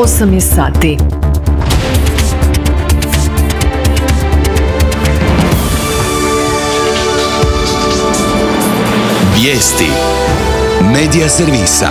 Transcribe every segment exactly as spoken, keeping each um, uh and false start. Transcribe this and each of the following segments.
osam je sati. Vijesti Medija servisa.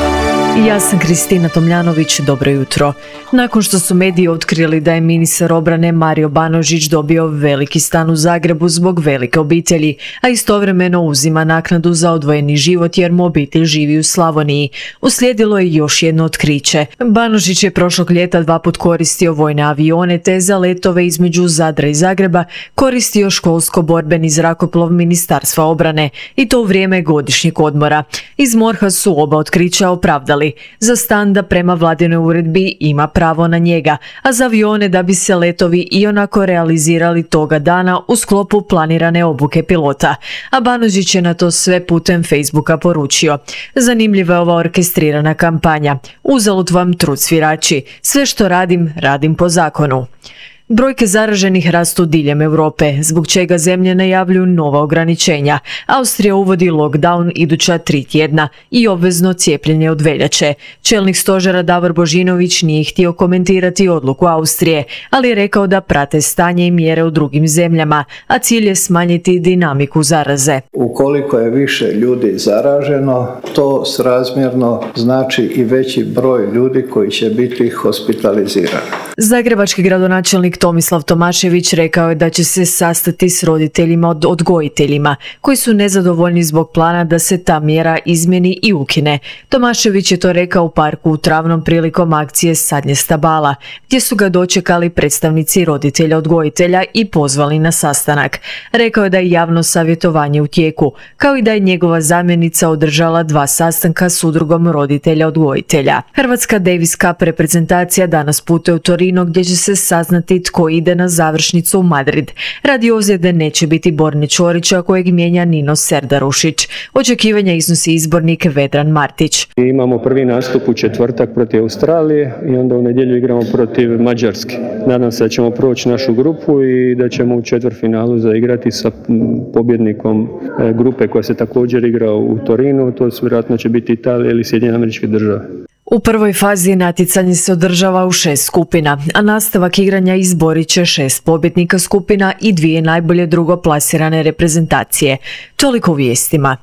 Ja sam Kristina Tomljanović, dobro jutro. Nakon što su mediji otkrili da je ministar obrane Mario Banožić dobio veliki stan u Zagrebu zbog velike obitelji, a istovremeno uzima naknadu za odvojeni život jer mu obitelj živi u Slavoniji, uslijedilo je još jedno otkriće. Banožić je prošlog ljeta dva put koristio vojne avione te za letove između Zadra i Zagreba koristio školsko-borbeni zrakoplov Ministarstva obrane i to u vrijeme godišnjeg odmora. Iz MORH-a su oba otkrića opravdali. Za stan da prema vladinoj uredbi ima pravo na njega, a za avione da bi se letovi ionako realizirali toga dana u sklopu planirane obuke pilota. A Banožić je na to sve putem Facebooka poručio: zanimljiva je ova orkestrirana kampanja. Uzalud vam trud svirači. Sve što radim, radim po zakonu. Brojke zaraženih rastu diljem Europe, zbog čega zemlje najavljuju nova ograničenja. Austrija uvodi lockdown iduća tri tjedna i obvezno cijepljenje od veljače. Čelnik stožera Davor Božinović nije htio komentirati odluku Austrije, ali je rekao da prate stanje i mjere u drugim zemljama, a cilj je smanjiti dinamiku zaraze. Ukoliko je više ljudi zaraženo, to srazmjerno znači i veći broj ljudi koji će biti hospitalizirani. Zagrebački gradonačelnik Tomislav Tomašević rekao je da će se sastati s roditeljima od odgojiteljima koji su nezadovoljni zbog plana da se ta mjera izmjeni i ukine. Tomašević je to rekao u parku u Travnom prilikom akcije Sadnje stabala, gdje su ga dočekali predstavnici roditelja odgojitelja i pozvali na sastanak. Rekao je da je javno savjetovanje u tijeku, kao i da je njegova zamjenica održala dva sastanka s udrugom roditelja odgojitelja. Hrvatska Davis Cup reprezentacija danas putuje u Torino gdje će se saznati tko ide na završnicu u Madrid. Radi ozljede neće biti Borne Ćorića kojeg mijenja Nino Serdarušić. Očekivanja iznosi izbornik Vedran Martić. Imamo prvi nastup u četvrtak protiv Australije i onda u nedjelju igramo protiv Mađarske. Nadam se da ćemo proći našu grupu i da ćemo u četvrtfinalu zaigrati sa pobjednikom grupe koja se također igra u Torinu. To vjerojatno će biti Italija ili Sjedinjene Američke Države. U prvoj fazi natjecanje se održava u šest skupina, a nastavak igranja izborit će šest pobjednika skupina i dvije najbolje drugoplasirane reprezentacije. Toliko u vijestima.